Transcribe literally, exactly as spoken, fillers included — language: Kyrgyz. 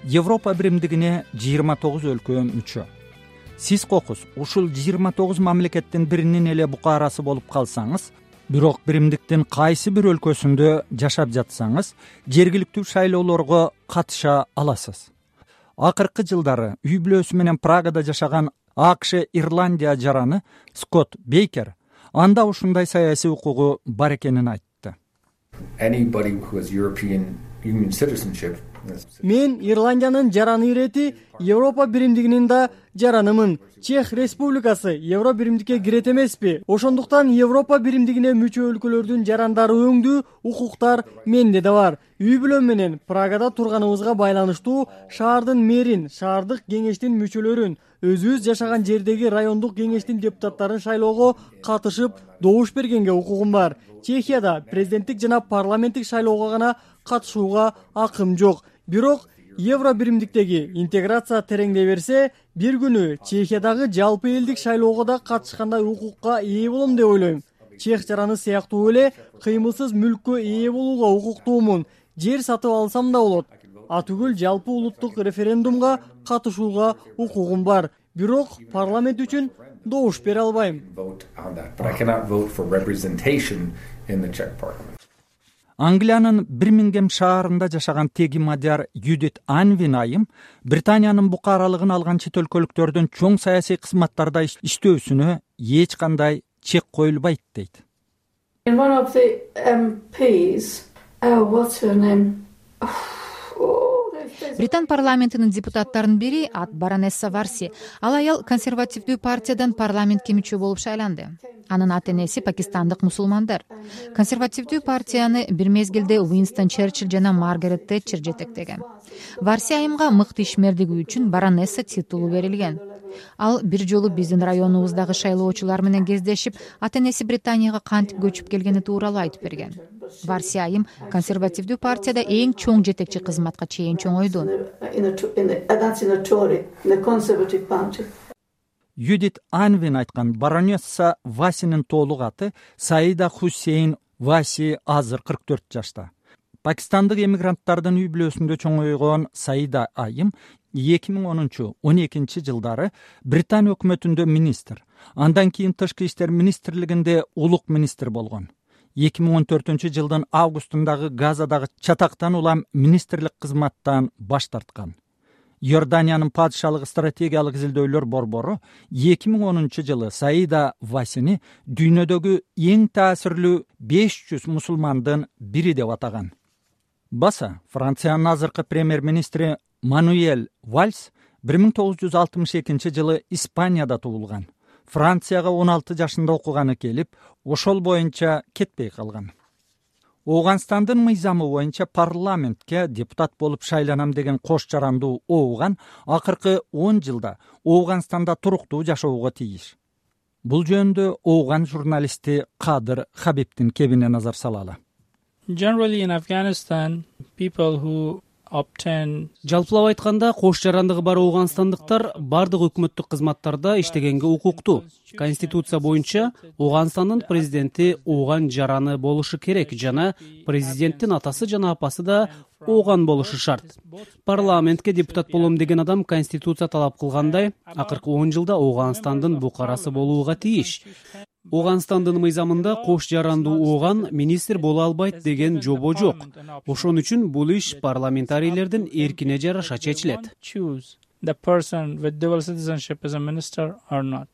Европа биримдигине жыйырма тогуз өлкө мүчө. Сиз кокус ушул жыйырма тогуз мамлекеттин биринин эле букарасы болуп калсаңыз, бирок биримдиктин кайсы бир өлкөсүндө жашап жатсаңыз, жергиликтүү шайлоолорго катыша аласыз. Акыркы жылдары үй бүлөсү менен Прагада жашаган АКШ Ирландия жараны Скотт Бейкер анда ушундай саясий укугу бар экенин айтты. Мен Ирландиянын жараны ирети Европа биримдигинин да жаранымын. Чех Республикасы Евро биримдикке кирет эмеспи. Ошондуктан Европа биримдигине мүчө өлкөлөрдүн жарандары өңдүү укуктар менде да бар. Үй бүлөм менен Прагада турганыбызга байланыштуу шаардын мэрин, шаардык кеңештин мүчөлөрүн, өзүбүз жашаган жердеги райондук кеңештин депутаттарын шайлоого катышып, добуш бергенге укугум бар. Чехияда президенттик жана парламенттик шайлоого гана катышууга акым жок. Бирок Евро биримдиктеги интеграция тереңдей берсе, бир күнү Чехиядагы жалпы элдик шайлоого да катышкандай укукка ээ болом деп ойлойм. Чех жараны сыяктуу эле кыймылсыз мүлккө ээ болууга укуктуумун. Жер сатып алсам да болот. Атүгүл жалпы улуттук референдумга катышууга укугум бар. Бирок парламент үчүн добуш бере албайм. Англиянын Бирмингем шаарында жашаган теги мадияр Юдит Анвин айым Британиянын букаралыгын алган чет өлкөлүктөрдүн чоң саясий кызматтарда иштөөсүнө эч кандай чек коюлбайт дейт. One of the M Ps, oh, what's her name? Британ парламентинин депутаттарынын бири ат баронесса Варси. Ал аял консервативдүү партиядан парламентке мүчө болуп шайланды. Анын ата энеси пакистандык мусулмандар. Консервативдүү партияны бир мезгилде Уинстон Черчилль жана Маргарет Тэтчер жетектеген. Варси айымга мыкты ишмердиги үчүн баронесса титулу берилген. Ал бир жолу биздин районубуздагы шайлоочулар менен кездешип, ата энеси Британияга кантип көчүп келгени тууралуу айтып берген. Варси айым консервативдүү партияда эң чоң жетекчи кызматка чейин чоңойду. Юдит Анвин айткан баронесса Васинин толук аты Саида Хусейн Васи, азыр кырк төрт жашта. Пакистандык эмигранттардын үй бүлөсүндө чоңойгон Саида айым эки миң онунчу он экинчи жылдары Британ өкмөтүндө министр, андан кийин тышкы иштер министрлигинде улук министр болгон. эки миң он төртүнчү жылдын августундагы Газадагы чатактан улам министрлик кызматтан баш тарткан. Иорданиянын падышалык стратегиялык изилдөөлөр борбору эки миң онунчу жылы Саида Васини дүйнөдөгү эң таасирлүү беш жүз мусулмандын бири деп атаган. Баса Франциянын азыркы премьер-министри Мануэль Вальс бир миң тогуз жүз алтымыш экинчи жылы Испанияда туулган. Францияга он алты жашында окуганы келип, ошол боюнча кетпей калган. Ооганстандын мыйзамы боюнча парламентке депутат болуп шайланам деген кош жарандуу ооган акыркы он жылда Ооганстанда туруктуу жашоого тийиш. Бул жөнүндө ооган журналисти Кадыр Хабибдин кебине назар салалы. Generally in Afghanistan, people who obtain Жалпылап айтканда, кош жарандыгы бар ооганстандыктар бардык өкмөттүк кызматтарда иштегенге укуктуу. Конституция боюнча Ооганстандын президенти ооган жараны болушу керек жана президенттин атасы жана апасы да ооган болушу шарт. Парламентке депутат болом деген адам конституция талап кылгандай, акыркы он жылда Ооганстандын букарасы болууга тийиш. Ооганстандын мыйзамында кош жарандуу ооган министр боло албайт деген жобо жок. Ошон үчүн бул иш парламентарийлердин эркине жараша чечилет. choose the person with dual citizenship as a minister or not.